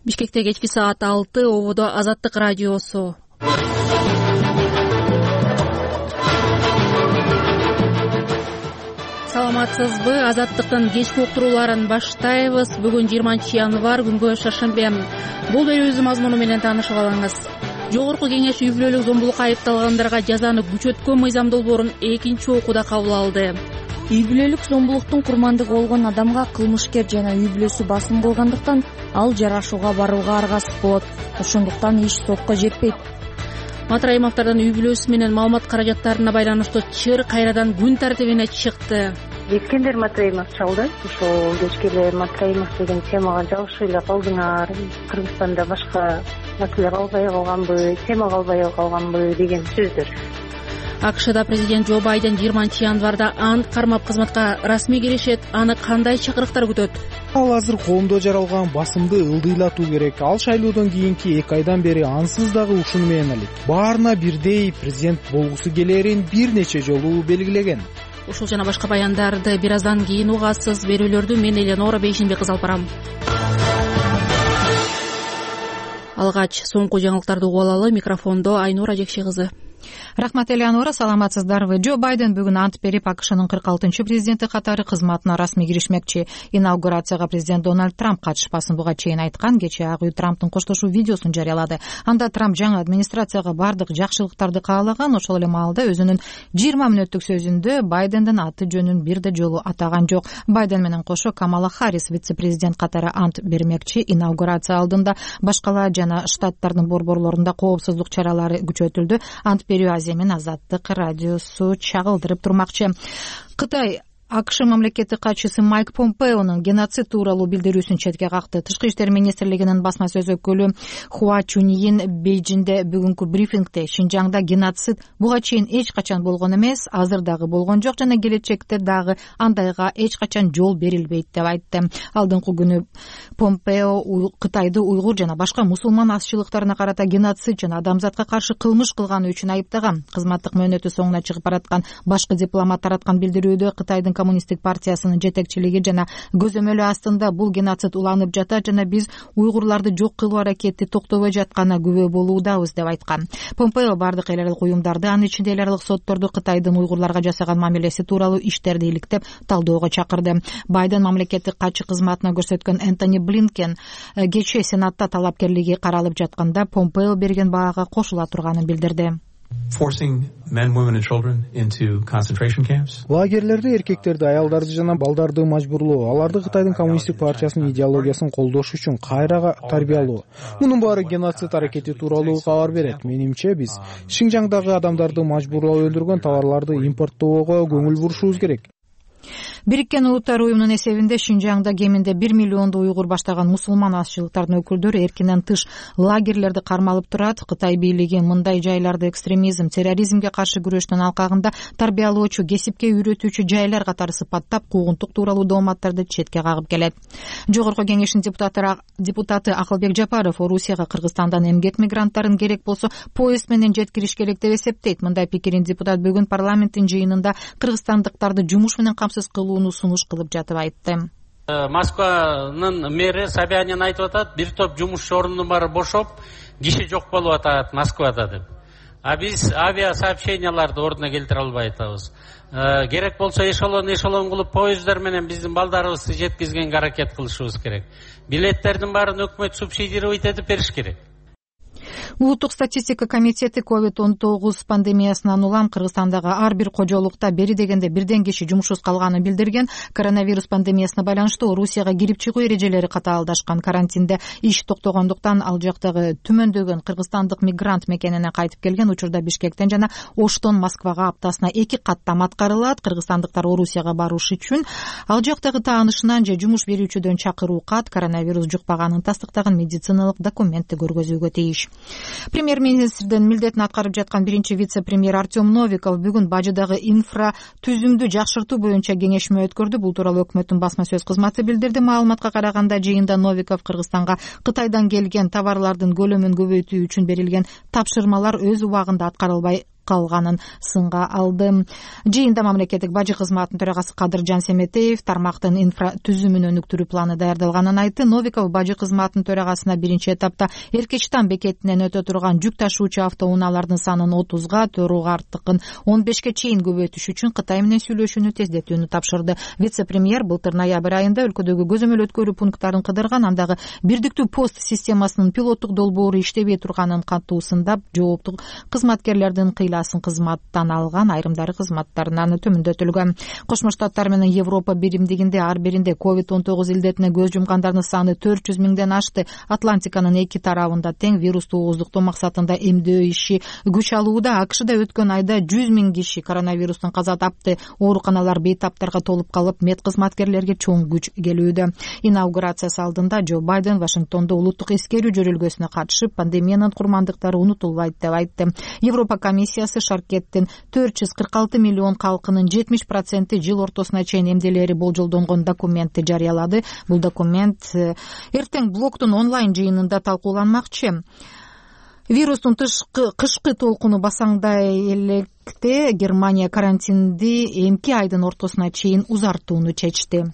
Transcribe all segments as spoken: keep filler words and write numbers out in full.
Бишкекте кечки саат алты, ободо Азаттык радиосу. Саламатсызбы? Азаттыктын кечки уктурууларын баштайбыз. Бүгүн жыйырманчы январь, күнгө шаршембе. Бул берүүбүздүн мазмуну менен таанышып алыңыз. Жогорку Кеңеш үй бүлөлүк зомбулукка айыпталгандарга жазаны күчөткөн мыйзам долбоорун экинчи окууда кабыл алды. Үй бүлөлүк зомбулуктун курмандыгы болгон адамга кылмышкер жана үй бүлөсү басым кылгандыктан ал жарашууга барууга аргасыз болот. Ошондуктан иш сотко жетпейт. Матраимовдордун үй бүлөсү менен маалымат каражаттарына байланыштуу чыр кайрадан күн тартибине чыкты. Эскендер Матраимов чалды. Ошол кечке эле Матраимов деген темага жабышып эле калдыңар. Кыргызстанда башка маселе калбай калганбы, тема калбай калганбы деген сөздөр. АКШда президент Джо Байден жыйырманчы январда ант кармап кызматка расмий киришет. Аны кандай чакырыктар күтөт? Ал азыр коомдо жаралган басымды ылдыйлатуу керек. Ал шайлоодон кийинки эки айдан бери ансыз дагы ушуну менен алек. Баарына бирдей президент болгусу келерин бир нече жолу белгилеген. Ушул жана башка баяндарды бир аздан кийин угасыз. Берүүлөрдү мен Эленора Бейшенбек кызы алып барам. Алгач соңку жаңылыктарды угуп алалы. Микрофондо Айнура Жекши кызы. Рахмат, Элеонора, саламатсыздарбы? Джо Байден бүгүн ант берип, АКШнын кырк алтынчы президенти катары кызматына расмий киришмекчи. Инаугурацияга президент Дональд Трамп катышпасын буга чейин айткан. Кечээ Ак үй Трамптын коштошуу видеосун жарыялады. Анда Трамп жаңы администрацияга бардык жакшылыктарды каалаган. Ошол эле маалда өзүнүн жыйырма мүнөттүк сөзүндө Байдендин аты жөнүн бир да жолу атаган жок. Байден менен кошо Камала Харрис вице-президент катары ант бермекчи. Инаугурация алдында башкала жана штаттардын борборлорунда коопсуздук чаралары күчөтүлдү. Ант берүү Азия мен Азаттык радиосу чагылдырып турмакчы. Кытай АКШ мамлекеттик катчысы Майк Помпеонун геноцид тууралуу билдирүүсүн четке какты. Тышкы иштер министрлигинин басма сөз өкүлү Хуа Чуньин Бейжиңде бүгүнкү брифингде Шинжаңда геноцид буга чейин эч качан болгон эмес, азыр дагы болгон жок жана келечекте дагы андайга эч качан жол берилбейт деп айтты. Алдыңкы күнү Помпео Кытайды уйгур жана башка мусулман азчылыктарына карата геноцид жана адамзатка каршы кылмыш кылганы үчүн айыптаган. Кызматтык мөөнөтү соңуна чыгып бараткан башкы дипломат тараткан билдирүүдө Кытайдын коммунисттик партиясынын жетекчилиги жана көзөмөлү астында бул геноцид уланып жатат жана биз уйгурларды жок кылуу аракети токтобой жатканына күбө болуудабыз деп айткан. Помпео бардык эл аралык уюмдарды, анын ичинде эл аралык сотторду Кытайдын уйгурларга жасаган мамилеси тууралуу иштерди иликтеп талдөөгө чакырды. Байден мамлекеттик катчы кызматына көрсөткөн Энтони Блинкен кечээ Сенатта талапкерлиги каралып жатканда Помпео берген баага кошула турганын билдирди. Forcing men, women and children into concentration camps. Лагерлерде эркектерди, аялдарды жана балдарды мажбурлоо, аларды Кытайдын коммунисттик партиясынын идеологиясын колдош үчүн кайрага тарбиялоо. Мунун баары геноцид аракети тууралуу кабар берет. Менимче биз Шинжаңдагы адамдарды мажбурлап өлтүргөн товарларды импорттоого көңүл бурушубуз керек. Бириккен Улуттар уюмунун эсебинде Шинжаңда кеминде бир миллионду уйгур баштаган мусулман азчылыктардын өкүлдөрү эркинен тыш лагерлерди кармалып турат. Кытай бийлиги мындай жайларды экстремизм, терроризмге каршы күрөштүн алкагында тарбиялоочу, кесипке үйрөтүүчү жайлар катары сыпаттап, куугунтук тууралуу дооматтарды четке кагып келет. Жогорку Кеңештин депутаты депутаты Акылбек Жапаров Орусияга Кыргызстандан эмгек мигранттарын керек болсо поезд менен жеткириш керек деп эсептейт. Мындай пикирин депутат бүгүн парламенттин жыйынында кыргызстандыктарды жумуш менен камсыз кылууну сунуш кылып жатып айтты. Москванын мэри Собянин айтып атат, бир топ жумушчу орунун баары бошоп, киши жок болуп атат Москвада деп. А биз авиа сообщенияларды ордуна келтире албай атабыз. Керек болсо эшелон эшелон кылып поездар менен биздин балдарыбызды жеткизгенге аракет кылышыбыз керек. Билеттердин баарын өкмөт субсидировать этип бериш керек. Улуттук статистика комитети ковид он тогуз пандемиясынан улам Кыргызстандагы ар бир кожолукта бери дегенде бирден киши жумушсуз калганын билдирген. Коронавирус пандемиясына байланыштуу Орусияга кирип чыгуу эрежелери катаалдашкан. Карантинде иш токтогондуктан ал жактагы түмөндөгөн кыргызстандык мигрант мекенине кайтып келген. Учурда Бишкектен жана Оштон Москвага аптасына эки каттам аткарылат. Кыргызстандыктар Орусияга баруш үчүн ал жактагы таанышынан же жумуш берүүчүдөн чакыруу кат, коронавирус жукпаганын тастыктаган медициналык документти көргөзүүгө тийиш. Премьер-министрдин милдетин аткарып жаткан биринчи вице-премьер Артем Новиков бүгүн бажыдагы инфра түзүмдү жакшыртуу боюнча кеңешме өткөрдү. Бул тууралуу өкмөттүн басма сөз кызматы билдирди. Маалыматка караганда жыйында Новиков Кыргызстанга Кытайдан келген товарлардын көлөмүн көбөйтүү үчүн берилген тапшырмалар өз убагында аткарылбай калганын сынга алды. Жыйында мамлекеттик бажы кызматынын төрагасы Кадыржан Семетеев тармактын инфра түзүмүн өнүктүрүү планы даярдалганын айтты. Новиков бажы кызматынын төрагасына биринчи этапта Эркечтан бекетинен өтө турган жүк ташуучу автоунаалардын санын отузга, Төрү артыкын он бешке чейин көбөйтүш үчүн Кытай менен сүйлөшүүнү тездетүүнү тапшырды. Вице-премьер былтыр ноябрь айында өлкөдөгү көзөмөл өткөрүү пункттарын кыдырган, андагы бирдиктүү пост системасынын пилоттук долбоору иштебей турганын кантуусундап, жооптуу кызматкерлердин кыйласын кызматтан алган, айрымдары кызматтарынан төмөндөтүлгөн. Кошмо Штаттар менен Европа биримдигинде ар биринде ковид он тогуз илдетине көз жумгандардын саны төрт жүз миңден ашты. Атлантиканын эки тарабында тең вирусту ооздуктоо максатында эмдөө иши күч алууда. АКШда өткөн айда жүз миң киши коронавирустан каза тапты. Ооруканалар бейтаптарга толуп калып, мед кызматкерлерге чоң күч келүүдө. Инаугурациясы алдында Джо Байден Вашингтондо улуттук эскерүү жөрөлгөсүнө катышып, пандемиянын курмандыктары унутулбайт деп айтты. Европа комиссиясы Шаркеттин төрт жүз кырк алты миллион калкынын жетимиш проценти жыл ортосуна чейин эмделери болжолдонгон документти жарыялады. Бул документ эртең блоктун онлайн жыйынында талкууланмакчы. Вирустун кышкы толкуну басаңдай электе Германия карантинди эмки айдын ортосуна чейин узартууну чечти.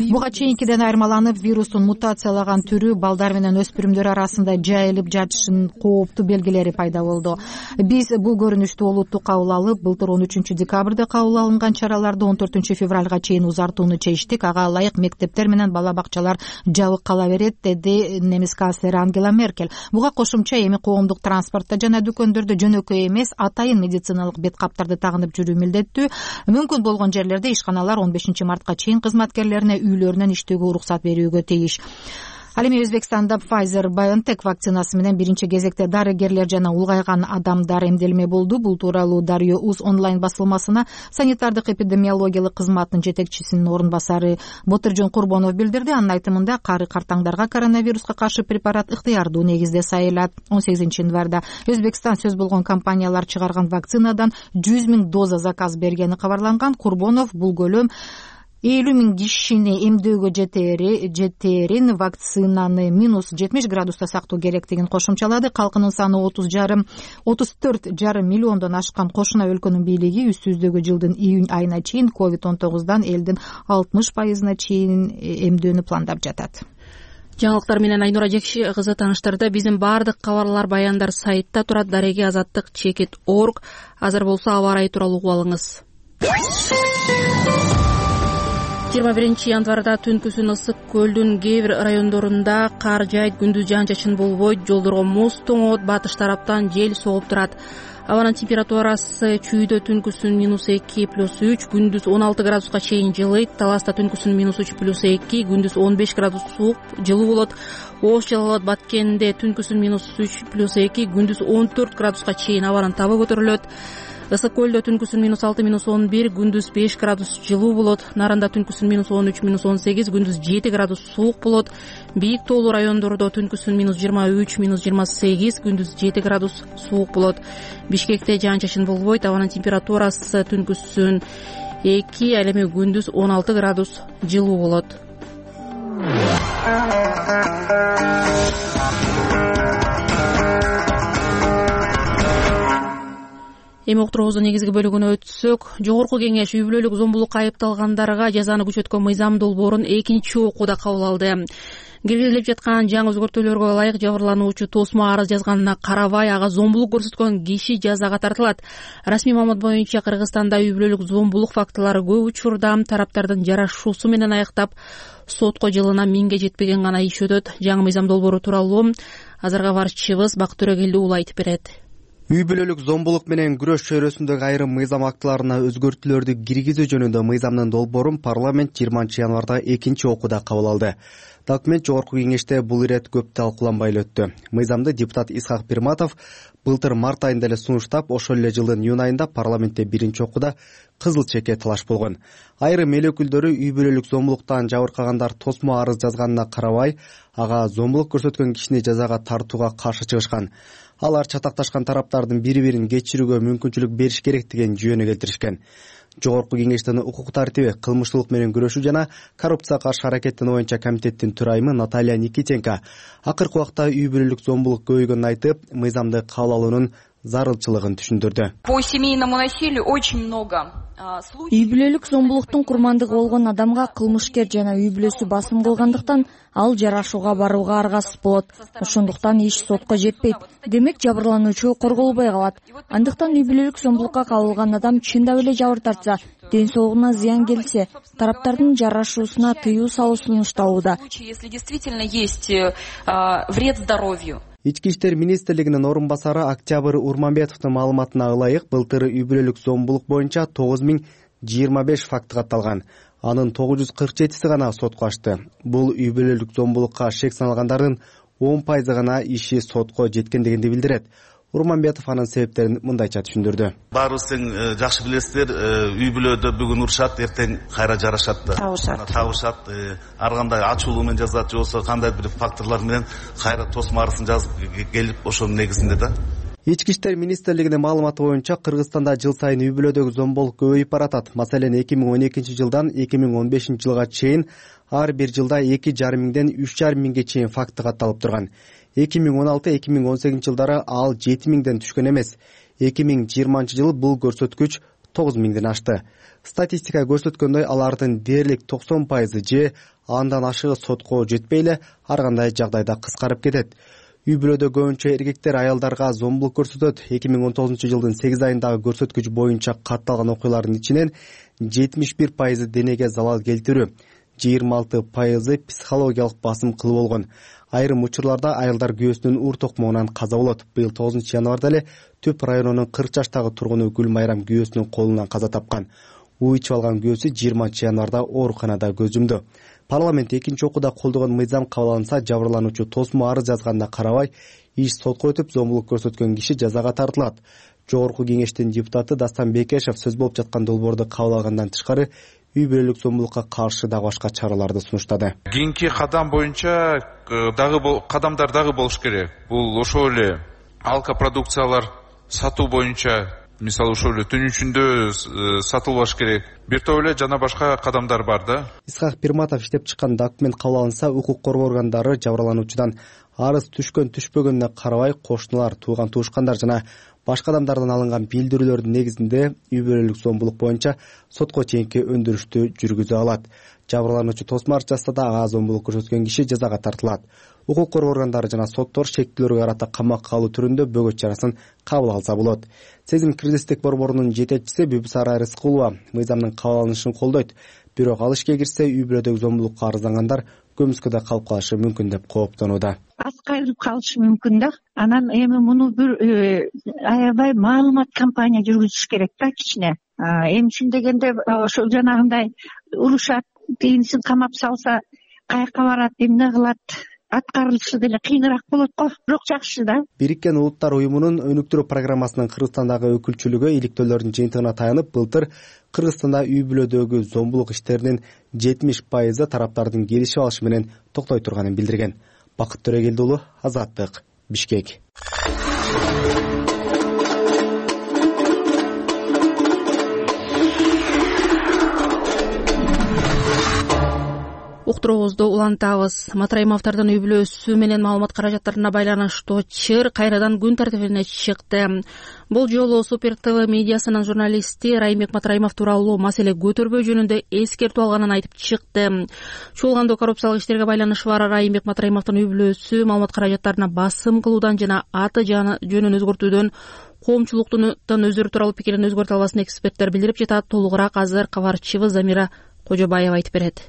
Буга чейинкиден айырмаланып, вирустун мутациялаган түрү балдар менен өспүрүмдөр арасында жайылып жатышынын кооптуу белгилери пайда болду. Биз бул көрүнүштү олуттуу кабыл алып, былтыр он үчүнчү декабрда кабыл алынган чараларды он төртүнчү февралга чейин узартууну чечтик. Ага ылайык мектептер менен бала бакчалар жабык кала берет, деди немис канцлери Ангела Меркель. Буга кошумча эми коомдук транспортто жана дүкөндөрдө жөнөкөй эмес, атайын медициналык бет каптарды тагынып жүрүү милдеттүү. Мүмкүн болгон жерлерде ишканалар он бешинчи мартка чейин кызматкерлерине үйлөрүнөн иштөөгө уруксат берүүгө тийиш. Ал эми Өзбекстанда Pfizer-BioNTech вакцинасы менен биринчи кезекте дарыгерлер жана улгайган адамдар эмделме болду. Бул тууралуу Дарыё Уз онлайн басылмасына санитардык эпидемиологиялык кызматтын жетекчисинин орун басары Ботуржон Курбонов билдирди. Анын айтымында, кары картаңдарга коронавируска каршы препарат ыктыярдуу негизде сайылат. он сегизинчи январда Өзбекстан сөз болгон компаниялар чыгарган вакцинадан жүз миң доза заказ бергени кабарланган. Курбонов бул көлөм элүү миң кишини эмдөөгө жетерин, вакцинаны минус жетимиш градуста сактоо керектигин кошумчалады. Калкынын саны отуз жарым отуз төрт жарым миллиондон ашкан кошуна өлкөнүн бийлиги үстүбүздөгү жылдын июнь айына чейин ковид он тогуздан элдин алтымыш пайызына чейин эмдөөнү пландап жатат. Жаңылыктар менен Айнура Жекши кызы тааныштырды. Биздин баардык кабарлар, баяндар сайтта турат. Дареги азаттык чекит орг. Азыр болсо аба ырайы тууралуу угуп алыңыз. жыйырма биринчи январда түнкүсүн ысык көлдүн кээ бир райондорунда кар жайт, күндүз жаан-чачын болбойт, жолдорго муз тоңот, батыш тараптан жел согуп турат. Абанын температурасы чүйдө түнкүсүн минус эки плюс үч, күндүз он алты градуска чейин жылыйт. Таласта түнкүсүн минус үч плюс эки, күндүз он беш градус суук, жылуу болот. Ош Жалал Абад Баткенде түнкүсүн минус үч плюс эки, күндүз он төрт градуска чейин абанын табы көтөрүлөт. Ысык көлдө түнкүсүн минус алты минус он бир, күндүз беш градус жылуу болот. Нарында түнкүсүн минус он үч минус он сегиз, күндүз жети градус суук болот. Бийик тоолуу райондордо түнкүсүн минус жыйырма үч минус жыйырма сегиз, күндүз жети градус суук болот. Бишкекте жаан-чачын болбойт. Абанын температурасы түнкүсүн эки, ал эми күндүз он алты градус жылуу болот. Эми уктуруубуздун негизги бөлүгүнө өтсөк, Жогорку кеңеш үй бүлөлүк зомбулукка айыпталгандарга жазаны күчөткөн мыйзам долбоорун экинчи окууда кабыл алды. Киргизилип жаткан жаңы өзгөртүүлөргө ылайык жабырлануучу тосмо арыз жазганына карабай, ага зомбулук көрсөткөн киши жазага тартылат. Расмий маалымат боюнча Кыргызстанда үй бүлөлүк зомбулук фактылары көп учурда тараптардын жарашуусу менен аяктап, сотко жылына миңге жетпеген гана иш өтөт. Жаңы мыйзам долбоору тууралуу азыркы кабарчыбыз Бак Төрөгелди уулу айтып берет. Үй бүлөлүк зомбулук менен күрөш чөйрөсүндөгү айрым мыйзам актыларына өзгөртүүлөрдү киргизүү жөнүндө мыйзамдын долбоорун парламент жыйырманчы январда экинчи окууда кабыл алды. Документ Жогорку кеңеште бул ирет көп талкууланбай эле өттү. Мыйзамды депутат Исхак Пирматов былтыр март айында эле сунуштап, ошол эле жылдын июнь айында парламентте биринчи окууда кызыл чекке талаш болгон. Айрым эл өкүлдөрү үй бүлөлүк зомбулуктан жабыркагандар тосмо арыз жазганына карабай, ага зомбулук көрсөткөн кишини жазага тартууга каршы чыгышкан. Алар чатакташкан тараптардын бири-бирин кечирүүгө мүмкүнчүлүк бериш керек деген жүйөнү келтиришкен. Жогорку кеңештин укук тартиби, кылмыштуулук менен күрөшүү жана коррупцияга каршы аракеттенүү боюнча комитеттин төрайымы Наталья Никитенко акыркы убакта үй бүлөлүк зомбулук көбөйгөнүн айтып, мыйзамды кабыл алуунун зарылчылыгын түшүндүрдү. По семейному насилию очень много. Үй бүлөлүк зомбулуктун курмандыгы болгон адамга кылмышкер жана үй бүлөсү басым кылгандыктан ал жарашууга барууга аргасыз болот. Ошондуктан иш сотко жетпейт. Демек жабырлануучу корголбой калат. Андыктан үй бүлөлүк зомбулукка кабылган адам чындап эле жабыр тартса, ден соолугуна зыян келсе, тараптардын жарашуусуна тыюу салуу сунушталууда. Если действительно есть вред здоровью. Ички иштер министрлигинин орун басары Октябрь Урманбетовдун маалыматына ылайык, былтыр үй бүлөлүк зомбулук боюнча тогуз миң жыйырма беш факты катталган. Анын тогуз жүз кырк жетиси гана сотко ачты. Бул үй бүлөлүк зомбулукка шек салгандардын он пайызы гана иши сотко жеткендигинди билдирет. Урманбетов анын себептерин мындайча түшүндүрдү. Баарыбыз тең жакшы билесиздер, үй бүлөдө бүгүн урушат, эртең кайра жарашат да. Табышат. Ар кандай ачуулуу менен жазат, же болбосо кандай бир факторлор менен кайра тосмарысын жазып келип, ошонун негизинде да. Ички иштер министрлигинин маалыматы боюнча Кыргызстанда жыл сайын үй бүлөдөгү зомбулук көбөйүп баратат. Маселен, эки миң он экинчи жылдан эки миң он бешинчи жылга чейин ар бир жылда эки жарым миңден үч жарым миңге чейин факты катталып турган. эки миң он алты эки миң он сегизинчи жылдары ал жети миңден түшкөн эмес. эки миң жыйырманчы жылы бул көрсөткүч тогуз миңден ашты. Статистика көрсөткөндөй, алардын дээрлик токсон пайызы же андан ашыгы сотко жетпей эле ар кандай жагдайда кыскарып кетет. Үй бүлөдө көбүнчө эркектер аялдарга зомбулук көрсөтөт. эки миң он тогузунчу жылдын сегиз айындагы көрсөткүч боюнча катталган окуялардын ичинен жетимиш бир пайызы денеге залал келтирүү, жыйырма алты пайызы психологиялык басым кылуу болгон. Айрым учурларда аялдар күйөөсүнүн уур токмогунан каза болот. Быйыл тогузунчу январда эле Түп районунун кырк жаштагы тургуну Гүлмайрам күйөөсүнүн колунан каза тапкан. Уу ичип алган күйөөсү жыйырманчы январда ооруканада көз жумду. Парламент экинчи окууда колдогон мыйзам кабыл алынса, жабырлануучу тосмо арыз жазганына карабай, иш сотко өтүп, зомбулук көрсөткөн киши жазага тартылат. Жогорку кеңештин депутаты Дастан Бекешев сөз болуп жаткан долбоорду кабыл алгандан тышкары үй бүлөлүк зомбулукка каршы дагы башка чараларды сунуштады. Кийинки кадам боюнча дагы кадамдар дагы болуш керек. Бул ошол эле алкопродукциялар сатуу боюнча, мисалы ошол эле түн ичинде сатылбаш керек. Бир топ эле жана башка кадамдар бар да. Исхак Пирматов иштеп чыккан документ кабыл алынса, укук коргоо органдары жабырлануучудан арыз түшкөн түшпөгөнүнө карабай, кошуналар, тууган туушкандар жана башка адамдардан алынган билдирүүлөрдүн негизинде үй бүлөлүк зомбулук боюнча сотко чейинки өндүрүштү жүргүзө алат. Жабырлануучу тосмар жазса да ага зомбулук көрсөткөн киши жазага тартылат. Укук коргоо органдары жана соттор шектүүлөргө карата камакка алуу түрүндө бөгөт чарасын кабыл алса болот. Сезим киргизиштик борборунун жетекчиси Бүбүсара Рыскулова мыйзамдын кабыл алынышын колдойт. Бирок ал ишке кирсе, үй бүлөдөгү зомбулукка арыздангандар көмүскөдө калып калышы мүмкүн деп кооптонууда. Аскайрып калышы мүмкүн да. Анан эми муну бир аябай маалымат кампания жүргүзүш керек да кичине. Эмчин дегенде ошол жанагындай урушат, кийинсин камап салса, каяка барат, эмне кылат, аткарылышы деле кыйыныраак болот го. Бирок жакшы да. Бириккен Улуттар уюмунун өнүктүрүү программасынын Кыргызстандагы өкүлчүлүгү иликтөөлөрдүн жыйынтыгына таянып, былтыр Кыргызстанда үй бүлөдөгү зомбулук иштеринин жетимиш пайызы тараптардын келишип алышы менен токтой турганын билдирген. Бакыт Төрөгелди уулу, Азаттык, Бишкек. Уктуруубузду улантабыз. Матраимовдордун үй бүлөсү менен маалымат каражаттарына байланыштуу чыр кайрадан күн тартибине чыкты. Бул жолу Супер ТВ медиасынын журналисти Райымбек Матраимов тууралуу маселе көтөрбөө жөнүндө эскертүү алганын айтып чыкты. Чуулгандуу коррупциялык иштерге байланышы бар Райымбек Матраимовдун үй бүлөсү маалымат каражаттарына басым кылуудан жана аты жөнүн өзгөртүүдөн коомчулуктун өздөрү тууралуу пикирин өзгөртө албасын эксперттер билдирип жатат. Толугураак азыр кабарчыбыз Замира Кожобаева айтып берет.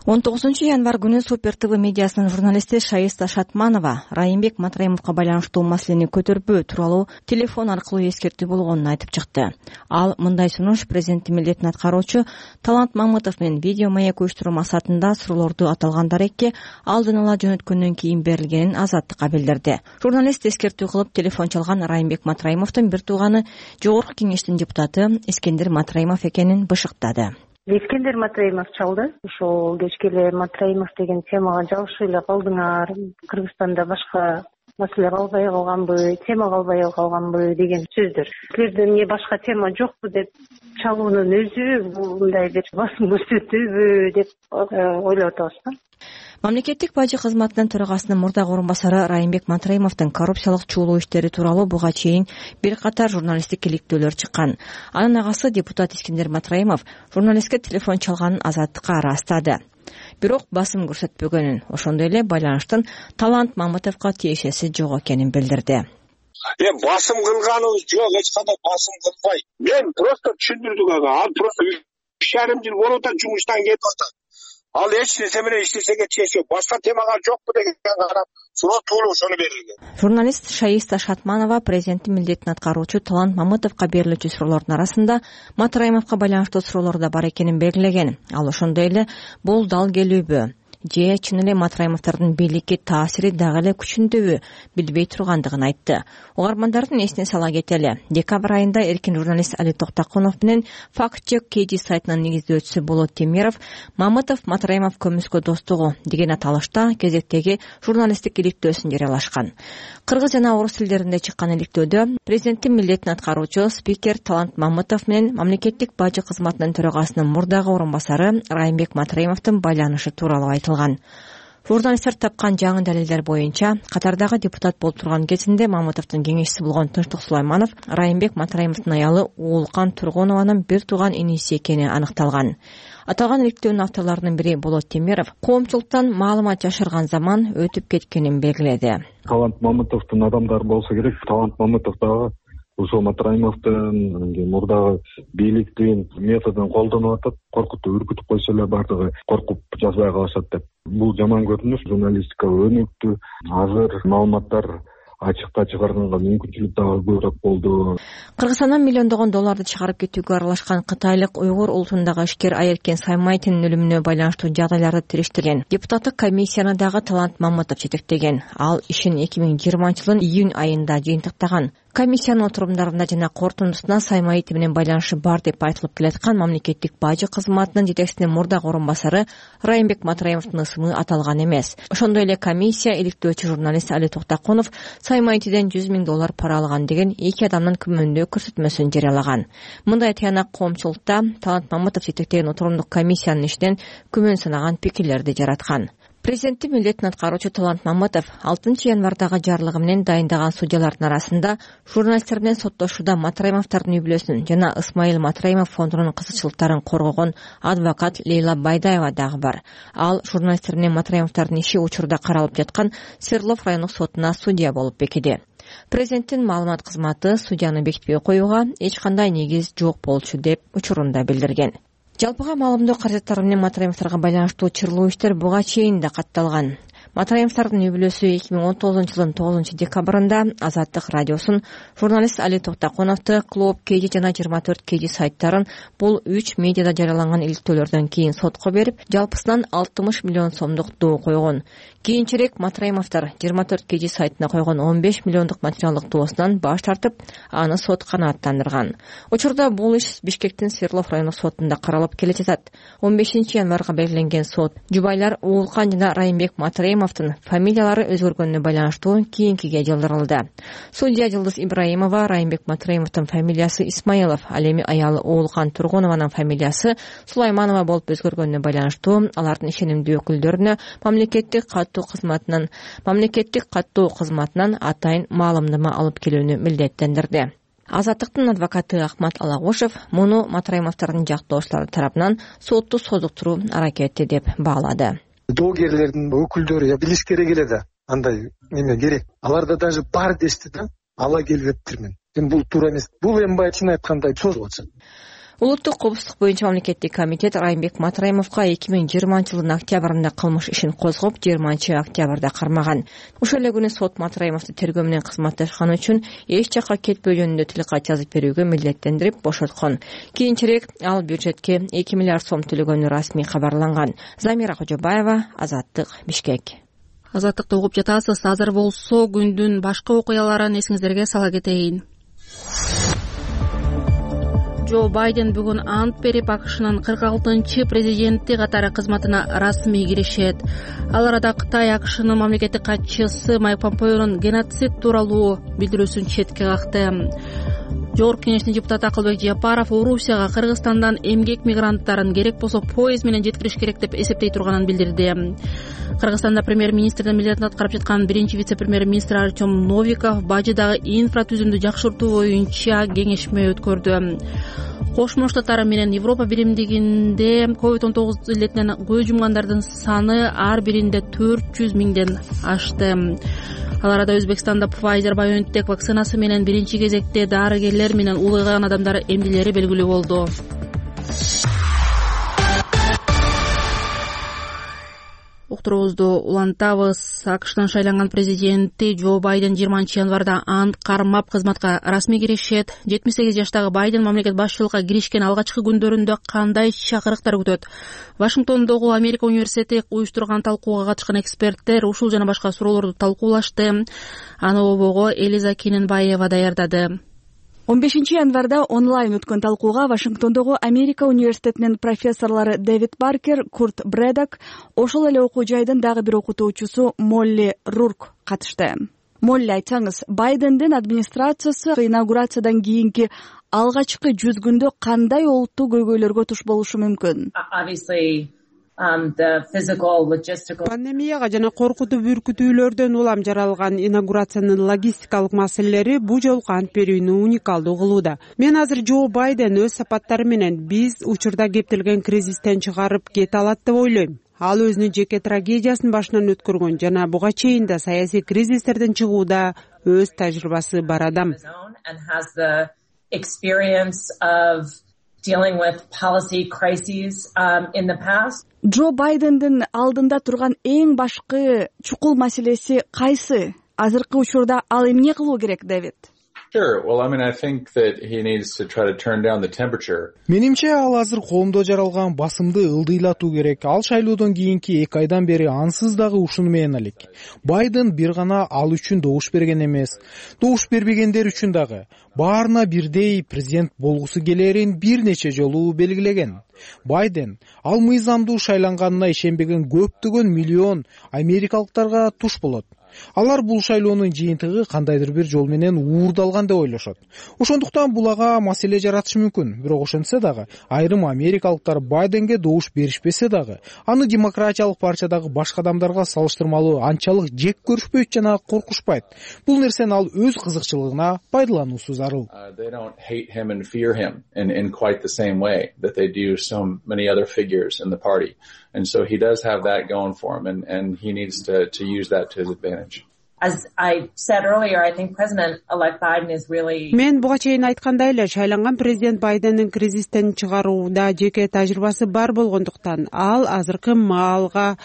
он тогузунчу январь күнү Супер ТВ медиасынын журналисти Шаиста Шатманова Райымбек Матраимовго байланыштуу маселени көтөрбөө тууралуу телефон аркылуу эскертүү болгонун айтып чыкты. Ал мындай сунуш президенттин милдетин аткаруучу Талант Мамытов менен видео маек уюштуруу максатында суроолорду аталган дарекке алдын ала жөнөткөндөн кийин берилгенин Азаттыкка билдирди. Журналист эскертүү кылып телефон чалган Райымбек Матраимовдун бир тууганы Жогорку кеңештин депутаты Эскендер Матраимов экенин бышыктады. Эскендер Матраимов чалды. Ошол кечке эле Матраимов деген темага жабышып эле калдыңар. Кыргызстанда башка маселе калбай калганбы, тема калбай калганбы деген сөздөр. Силерде эмне башка тема жокпу деп чалуунун өзү мындай бир басым көрсөтүүбү деп ойлоп атабыз да. Мамлекеттик бажы кызматынын төрагасынын мурдагы орун басары Райымбек Матраимовдун коррупциялык чуулоо иштери тууралуу буга чейин бир катар журналисттик иликтөөлөр чыккан. Анын агасы депутат Искендер Матраимов журналистке телефон чалганын Азаттыкка ырастады. Бирок басым көрсөтпөгөнүн, ошондой эле байланыштын Талант Мамытовго тиешеси жок экенин билдирди. Эми басым кылганыбыз жок, эч кандай басым кылбай. Мен просто түшүндүрдүк ага. Ал просто үч жарым жыл болуп атат, жумуштан кетип атат. Ал эч нерсе менен иштесеге чечи жок. Башка темага жокпу деген карап, суроону ошону берилген. Журналист Шаиста Шатманова президенттин милдетин аткаруучу Талант Мамытовго берилүүчү суроолордун арасында Матраимовго байланыштуу суроолор да бар экенин белгилеген. Ал ошондой эле бул дал келүүбү же чын эле Матраимовдордун бийликке таасири дагы эле күчүндөбү билбей тургандыгын айтты. Угармандардын эсине сала кетели. Декабрь айында эркин журналист Али Токтокунов менен Факт-чек кей ди сайтынын негиздөөчүсү Болот Темиров Мамытов Матраимов көмүскө достугу деген аталышта кезектеги журналисттик иликтөөсүн жарыялашкан. Кыргыз жана орус тилдеринде чыккан иликтөөдө президенттин милдетин аткаруучу спикер Талант Мамытов менен мамлекеттик бажы кызматынын төрагасынын мурдагы орун басары Райымбек Матраимовдун байланышы тууралуу айтылган. Журналисттер тапкан жаңы далилдер боюнча катардагы депутат болуп турган кезинде Мамытовдун кеңешчиси болгон Тынчтык Сулайманов Райымбек Матраимовдун аялы Уулкан Тургунованын бир тууган иниси экени аныкталган. Аталган иликтөөнүн авторлорунун бири Болот Темиров коомчулуктан маалымат жашырган заман өтүп кеткенин белгиледи. Талант Мамытовдун адамдары болсо керек. Талант Мамытов дагы ушул Матраимовдун мурдагы бийликтин методун колдонуп атат. Коркутуп, үркүтүп койсо эле бардыгы коркуп жазбай калышат деп. Бул жаман көрүнүш. Журналистика өнүктү. Азыр маалыматтар ачыкта чыгарганга мүмкүнчүлүк дагы көбүрөөк болду. Кыргызстандан миллиондогон долларды чыгарып кетүүгө аралашкан кытайлык уйгур улутундагы ишкер Айеркен Саймайтинин өлүмүнө байланыштуу жагдайларды териштирген депутаттык комиссияны дагы Талант Мамытов жетектеген. Ал ишин эки миң жыйырманчы жылдын июнь айында жыйынтыктаган. Комиссиянын отурумдарында жана корутундусунда Саймайт менен байланышы бар деп айтылып келаткан мамлекеттик бажы кызматынын жетекчисинин мурдагы орун басары Райымбек Матраимовдун ысымы аталган эмес. Ошондой эле комиссия иликтөөчү журналист Али Токтокунов Саймайтиден жүз миң доллар пара алган деген эки адамдын күмөндөө көрсөтмөсүн жарыялаган. Мындай тыянак коомчулукта Талант Мамытов жетектеген отурумдук комиссиянын ишинен күмөн санаган пикирлерди жараткан. Президенттин милдетин аткаруучу Талант Мамытов алтынчы январдагы жарлыгы менен дайындаган судьялардын арасында журналисттер менен соттошууда Матраимовдордун үй бүлөсүн жана Исмаил Матраимов фондунун кызыкчылыктарын коргогон адвокат Лейла Байдаева дагы бар. Ал журналисттер менен Матраимовдордун иши учурда каралып жаткан Свердлов райондук сотуна судья болуп бекиди. Президенттин маалымат кызматы судьяны бекитпей коюуга эч кандай негиз жок болчу деп учурунда билдирген. Жалпыга маалымдоо каражаттары менен Матраимовдорго байланыштуу чырлуу иштер буга чейин да катталган. Матраимовдордун үй бүлөсү эки миң он тогузунчу жылдын тогузунчу декабрында Азаттык радиосун, журналист Али Токтокуновду, Клуб кей ди жана жыйырма төрт кей ди сайттарын бул үч медиада жарыяланган иликтөөлөрдөн кийин сотко берип, жалпысынан алтымыш миллион сомдук доо койгон. Кийинчерээк Матраимовдор жыйырма төрт кей ди сайтына койгон он беш миллиондук материалдык доосунан баш тартып, аны сот канааттандырган. Учурда бул иш Бишкектин Свердлов райондук сотунда каралып келе жатат. он бешинчи январга белгиленген сот жубайлар Уулкан жана Райымбек Матраимов фамилиялары өзгөргөнүнө байланыштуу кийинкиге жылдырылды. Судья Жылдыз Ибраимова Райымбек Матраимовдун фамилиясы Исмаилов, ал эми аялы Уулкан Тургунованын фамилиясы Сулайманова болуп өзгөргөнүнө байланыштуу алардын ишенимдүү өкүлдөрүнө мамлекеттик каттоо кызматынан мамлекеттик каттоо кызматынан атайын маалымдама алып келүүнү милдеттендирди. Азаттыктын адвокаты Ахмат Алагушев муну Матраимовдордун жактоочулары тарабынан сотту созуктуруу аракети деп баалады. Доогерлердин өкүлдөрү билиш керек эле да, андай неме керек. Аларда даже бар дешти да, ала келбептирмин. Эми бул туура эмес. Бул эми баягы чын айткандай созулуп атат. Улуттук коопсуздук боюнча мамлекеттик комитет Райымбек Матраимовго эки миң жыйырманчы жылдын октябрында кылмыш ишин козгоп, жыйырманчы октябрда кармаган. Ошол эле күнү сот Матраимовду тергөө менен кызматташканы үчүн эч жакка кетпөө жөнүндө тилкат жазып берүүгө милдеттендирип бошоткон. Кийинчерээк ал бюджетке эки миллиард сом төлөгөнү расмий кабарланган. Замира Кожобаева, Азаттык, Бишкек. Азаттыкты угуп жатасыз. Азыр болсо күндүн башка окуяларын эсиңиздерге сала кетейин. Джо Байден бүгүн ант берип, АКШнын кырк алтынчы президенти катары кызматына расмий киришет. Ал арада Кытай АКШнын мамлекеттик катчысы Майк Помпеонун геноцид тууралуу билдирүүсүн четке какты. Жогорку кеңештин депутаты Акылбек Жапаров Орусияга Кыргызстандан эмгек мигранттарын керек болсо поезд менен жеткириш керек деп эсептей турганын билдирди. Кыргызстанда премьер-министрдин милдетин аткарып жаткан биринчи вице-премьер-министр Артем Новиков бажыдагы инфратүзүмдү жакшыртуу боюнча кеңешме өткөрдү. Кошмо Штаттар менен Европа биримдигинде ковид он тогуз илетинен көз жумгандардын саны ар биринде төрт жүз миңден ашты. Ал арада Өзбекстанда Pfizer-BioNTech вакцинасы менен биринчи кезекте дарыгерлер менен улгайган адамдар эмдилери белгилүү болду. Уктуруубузду улантабыз. АКШтын шайланган президенти Джо Байден жыйырманчы январда ант кармап кызматка расмий киришет. жетимиш сегиз жаштагы Байден мамлекет башчылыкка киришкен алгачкы күндөрүндө кандай чакырыктар күтөт? Вашингтондогу Америка университети уюштурган талкууга катышкан эксперттер ушул жана башка суроолорду талкуулашты. Аны обого Элиза Кененбаева даярдады. он бешинчи январда онлайн өткөн талкууга Вашингтондогу Америка университетинин профессорлору Дэвид Баркер, Курт Брэдок, ошол эле окуу жайдын дагы бир окутуучусу Молли Рурк катышты. Молли, айтсаңыз, Байдендин администрациясы инаугурациядан кийинки алгачкы жүз күндө кандай олуттуу көйгөйлөргө туш болушу мүмкүн? Пандемияга жана коркутуп үркүтүүлөрдөн улам жаралган инаугурациянын логистикалык маселелери бу жолку ант берүүнү уникалдуу кылууда. Мен азыр Джо Байден өз сапаттары менен биз учурда кептелген кризистен чыгарып кете алат деп ойлойм. Ал өзүнүн жеке трагедиясын башынан өткөргөн жана буга чейин да саясий кризистерден чыгууда өз тажрыйбасы бар адам. Dealing with policy crises um, in the past. Джо Байдендин алдында турган эң башкы чукул маселеси кайсы? Азыркы учурда ал эмне кылуу керек, Дэвид? Sure. Well, I mean, I think that he needs to try to turn down the temperature. Менимче ал азыр коомдо жаралган басымды ылдыйлатуу керек. Ал шайлоодон кийинки эки айдан бери ансыз дагы ушуну менен элек. Байден бир гана ал үчүн добуш берген эмес. Добуш бербегендер үчүн дагы баарына бирдей президент болгусу келерин бир нече жолу белгилеген. Байден ал мыйзамдуу шайланганына ишенбеген көптөгөн миллион америкалыктарга туш болот. Алар бул шайлоонун жыйынтыгы кандайдыр бир жол менен уурдалган деп ойлошот. Ошондуктан булага маселе жаратышы мүмкүн. Бирок ошентсе дагы айрым америкалыктар Байденге добуш беришпесе дагы аны демократиялык партиядагы башка адамдарга салыштырмалуу анчалык жек көрүшпөйт жана коркушпайт. Бул нерсени ал өз кызыкчылыгына пайдалануусу зарыл. They don't hate him and fear him in in quite the same way that they do so many other figures in the party. And so he does have that going for him, and, and he needs to, to use that to his advantage. As I said earlier, I think President-elect Biden is really... Мен буга чейин айткандай эле, шайланган президент Байдендин кризистен чыгарууда жеке тажрыйбасы бар болгондуктан ал азыркы маалга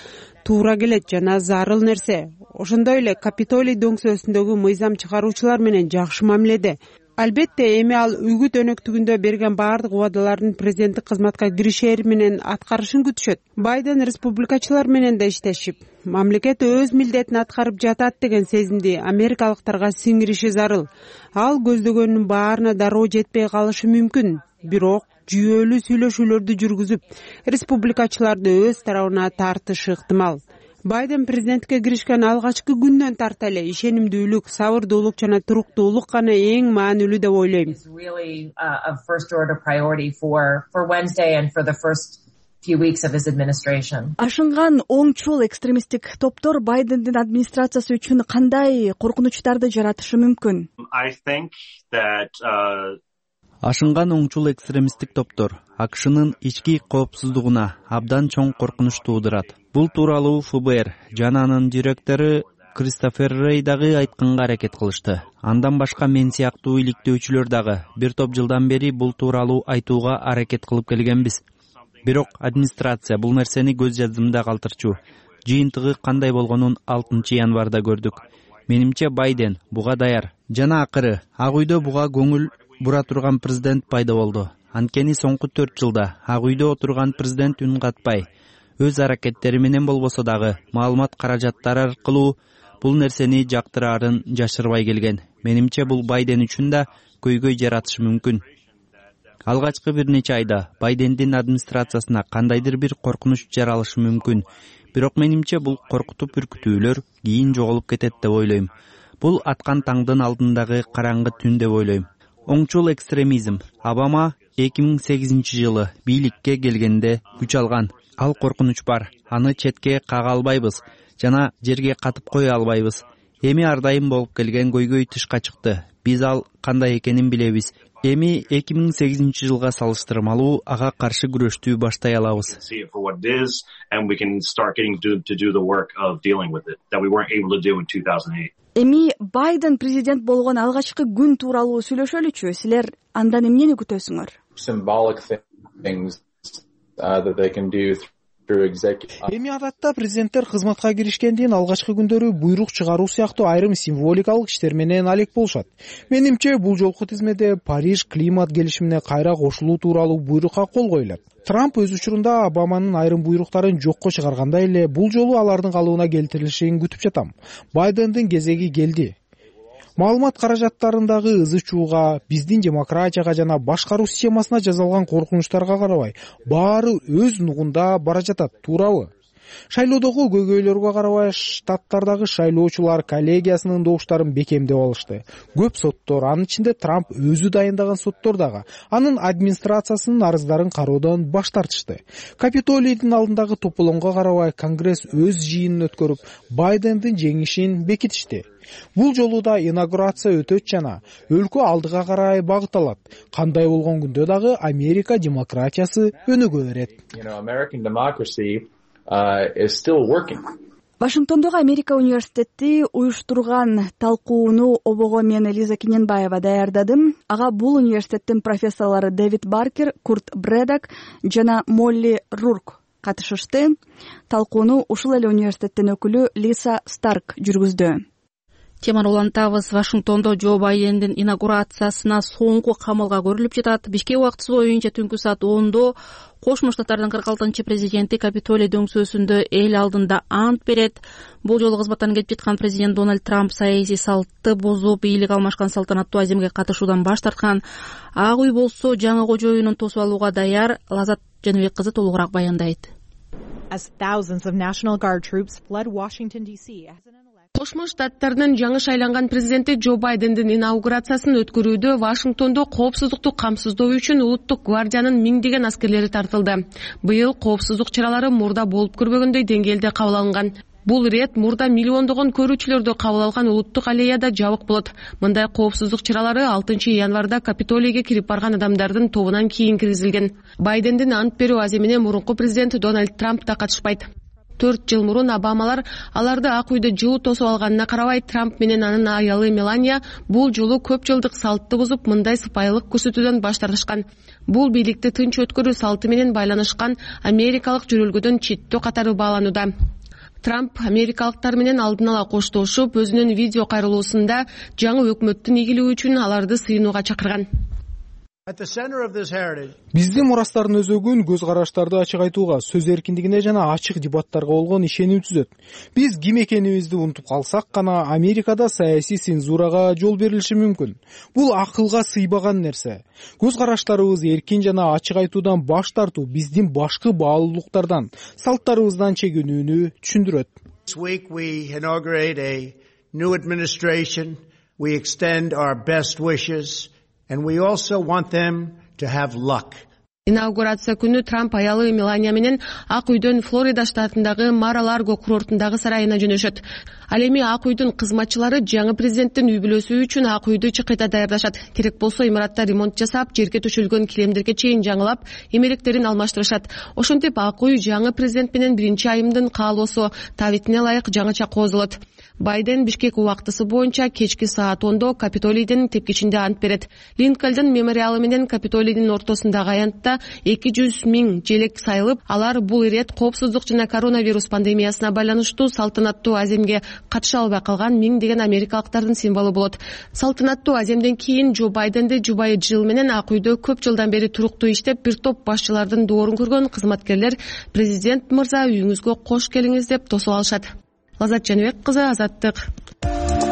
туура келет жана зарыл нерсе. Ошондой эле Капитолий дөңсөөсүндөгү мыйзам чыгаруучулар менен жакшы мамиледе. Албетте, эми ал үгүт өнөктүгүндө берген баардык убадаларын президенттик кызматка киришери менен аткарышын күтүшөт. Байден республикачылар менен да иштешип, мамлекет өз милдетин аткарып жатат деген сезимди америкалыктарга сиңириши зарыл. Ал көздөгөнүнүн баарына дароо жетпей калышы мүмкүн. Бирок жүйөлүү сүйлөшүүлөрдү жүргүзүп, республикачыларды өз тарабына тартышы ыктымал. Байден президентке киришкен алгачкы күндөн тарта эле ишенимдүүлүк, сабырдуулук жана туруктуулук гана эң маанилүү деп ойлойм. Ашынган оңчул экстремисттик топтор Байдендин администрациясы үчүн кандай коркунучтарды жаратышы мүмкүн? I think that uh... Ашынган оңчул экстремисттик топтор АКШнын ички коопсуздугуна абдан чоң коркунуч туудурат. Бул тууралуу эф бэ эр жана анын директору Кристофер Рей дагы айтканга аракет кылышты. Андан башка мен сыяктуу иликтөөчүлөр дагы бир топ жылдан бери бул тууралуу айтууга аракет кылып келгенбиз. Бирок администрация бул нерсени көз жаздымда калтырчу. Жыйынтыгы кандай болгонун алтынчы январда көрдүк. Менимче Байден буга даяр. Жана акыры Ак үйдө буга көңүл бура турган президент пайда болду. Анткени соңку төрт жылда Ак үйдө отурган президент үн катпай, өз аракеттери менен болбосо дагы маалымат каражаттары аркылуу бул нерсени жактыраарын жашырбай келген. Менимче бул Байден үчүн да көйгөй жаратышы мүмкүн. алгачкы бир нече айда Байдендин администрациясына кандайдыр бир коркунуч жаралышы мүмкүн. Бирок менимче бул коркутуп үркүтүүлөр кийин жоголуп кетет деп ойлойм. Бул аткан таңдын алдындагы караңгы түн деп ойлойм. Оңчул экстремизм. Обама эки миң сегизинчи жылы бийликке келгенде күч алган. Ал коркунуч бар. Аны четке кага албайбыз жана жерге катып кое албайбыз. Эми ар дайым болуп келген көйгөй тышка чыкты. Биз ал кандай экенин билебиз. Эми эки миң сегизинчи жылга салыштырмалуу ага каршы күрөштү баштай алабыз. Эми Байден президент болгон алгачкы күн тууралуу сүйлөшөлүчү. Силер андан эмнени күтөсүңөр? Эми адатта президенттер кызматка киришкендин алгачкы күндөрү буйрук чыгаруу сыяктуу айрым символикалык иштер менен алек болушат. Менимче бул жолку тизмеде Париж климат келишимине кайра кошулуу тууралуу буйрукка кол коюлат. Трамп өз учурунда Обаманын айрым буйруктарын жокко чыгаргандай эле бул жолу алардын калыбына келтирилишин күтүп жатам. Байдендин кезеги келди. Маалымат каражаттарындагы ызы чууга, биздин демократияга жана башкаруу системасына жазалган коркунучтарга карабай, баары өз нугунда бара жатат, туурабы? Шайлоодогу көйгөйлөргө карабай, штаттардагы шайлоочулар коллегиясынын добуштарын бекемдеп алышты. Көп соттор, анын ичинде Трамп өзү дайындаган соттор дагы, анын администрациясынын арыздарын кароодон баш тартышты. Капитолийдин алдындагы тополоңго карабай, Конгресс өз жыйынын өткөрүп, Байдендин жеңишин бекитишти. Бул жолу да инаугурация өтөт жана өлкө алдыга карай багыт алат. Кандай болгон күндө дагы Америка демократиясы өнүгө берет. Вашингтондогу Америка университети уюштурган талкууну обого мен Лиза Кененбаева даярдадым. Ага бул университеттин профессорлору Дэвид Баркер, Курт Бредок жана Молли Рурк катышышты. Талкууну ушул эле университеттин өкүлү Лиса Старк жүргүздү. Теманы улантабыз. Вашингтондо Джо Байдендин инаугурациясына соңку камалга көрүлүп жатат. Бишкек убактысы боюнча түнкү саат ондо Кошмо Штаттардын кырк алтынчы президенти Капитолий дөңсөөсүндө эл алдында ант берет. Бул жолу кызматтан кетип жаткан президент Дональд Трамп саясий салтты бузуп, бийлик алмашкан салтанаттуу аземге катышуудан баш тарткан. Ак үй болсо жаңы кожоюнун тосуп алууга даяр. Лазат Жаныбек кызы толугураак баяндайт. Кошмо Штаттардын жаңы шайланган президенти Джо Байдендин инаугурациясын өткөрүүдө Вашингтондо коопсуздукту камсыздоо үчүн улуттук гвардиянын миңдеген аскерлери тартылды. Быйыл коопсуздук чаралары мурда болуп көрбөгөндөй деңгээлде кабыл алынган. Бул ирет мурда миллиондогон көрүүчүлөрдү кабыл алган улуттук аллеяда жабык болот. Мындай коопсуздук чаралары алтынчы январда Капитолийге кирип барган адамдардын тобунан кийин киргизилген. Байдендин ант берүү аземине мурунку президент Дональд Трамп да катышпайт. Төрт жыл мурун Обамалар аларды ак үйдө жылуу тосуп алганына карабай, Трамп менен анын аялы Мелания бул жолу көп жылдык салтты бузуп, мындай сыпайылык көрсөтүүдөн баш тартышкан. Бул бийликти тынч өткөрүү салты менен байланышкан америкалык жөрөлгөдөн четтөө катары бааланууда. Трамп америкалыктар менен алдын ала коштошуп, өзүнүн видео кайрылуусунда жаңы өкмөттүн ийгилиги үчүн аларды сыйынууга чакырган. Биздин мурастардын өзөгүн көз караштарды ачык айтууга, сөз эркиндигине жана ачык дебаттарга болгон ишеним түзөт. Биз ким экенибизди унутуп калсак гана Америкада саясий цензурага жол берилиши мүмкүн. Бул акылга сыйбаган нерсе. Көз караштарыбыз эркин жана ачык айтуудан баш тартуу биздин башкы баалуулуктардан, салттарыбыздан чегинүүнү түшүндүрөт. This week we inaugurate a new administration. We extend our best wishes. And we also want them to have luck. Инаугурация күнү Трамп аялы Мелания менен Ак үйдөн Флорида штатындагы Мар-а-Ларго курортундагы сарайына жөнөшөт. Ал эми Ак үйдүн кызматчылары жаңы президенттин үй бүлөсү үчүн Ак үйдү чыкыйта даярдашат. Керек болсо имаратта ремонт жасап, жерге төшөлгөн килемдерге чейин жаңылап, эмеректерин алмаштырышат. Ошентип Ак үй жаңы президент менен биринчи айымдын каалоосу табитине ылайык жаңыча кооздолот. Байден Бишкек убактысы боюнча кечки саат ондо Капитолийдин тепкичинде ант берет. Линкольн мемориалы менен Капитолийдин ортосундагы аянтта эки жүз миң желек сайылып, алар бул ирет коопсуздук жана коронавирус пандемиясына байланыштуу салтанаттуу аземге катыша албай калган миңдеген америкалыктардын символу болот. Салтанаттуу аземден кийин Джо Байденди жубайы Джилл менен Ак үйдө көп жылдан бери туруктуу иштеп, бир топ башчылардын доорун көргөн кызматкерлер президент мырза үйүңүзгө кош келиңиз деп тосуп алышат. Лазат Жаныбек кызы, Азаттык.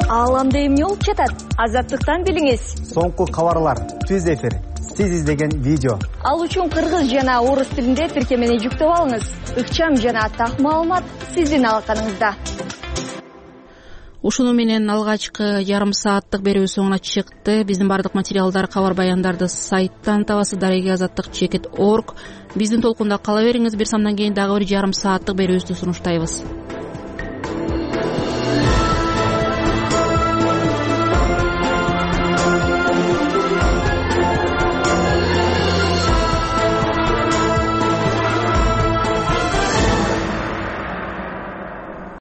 Ааламда эмне болуп жатат? Азаттыктан билиңиз. Соңку кабарлар, түз эфир. сиз издеген видео. Ал үчүн кыргыз жана орус тилинде тиркемени жүктөп алыңыз. Ыкчам жана так маалымат сиздин алаканыңызда. Ушуну менен алгачкы жарым сааттык берүү соңуна чыкты. Биздин бардык материалдар, кабар баяндарды сайттан табасыз, дареги азаттык чекит точка орг. Биздин толкунда кала бериңиз. Бир самдан кийин дагы бир жарым сааттык берүүбүздү сунуштайбыз.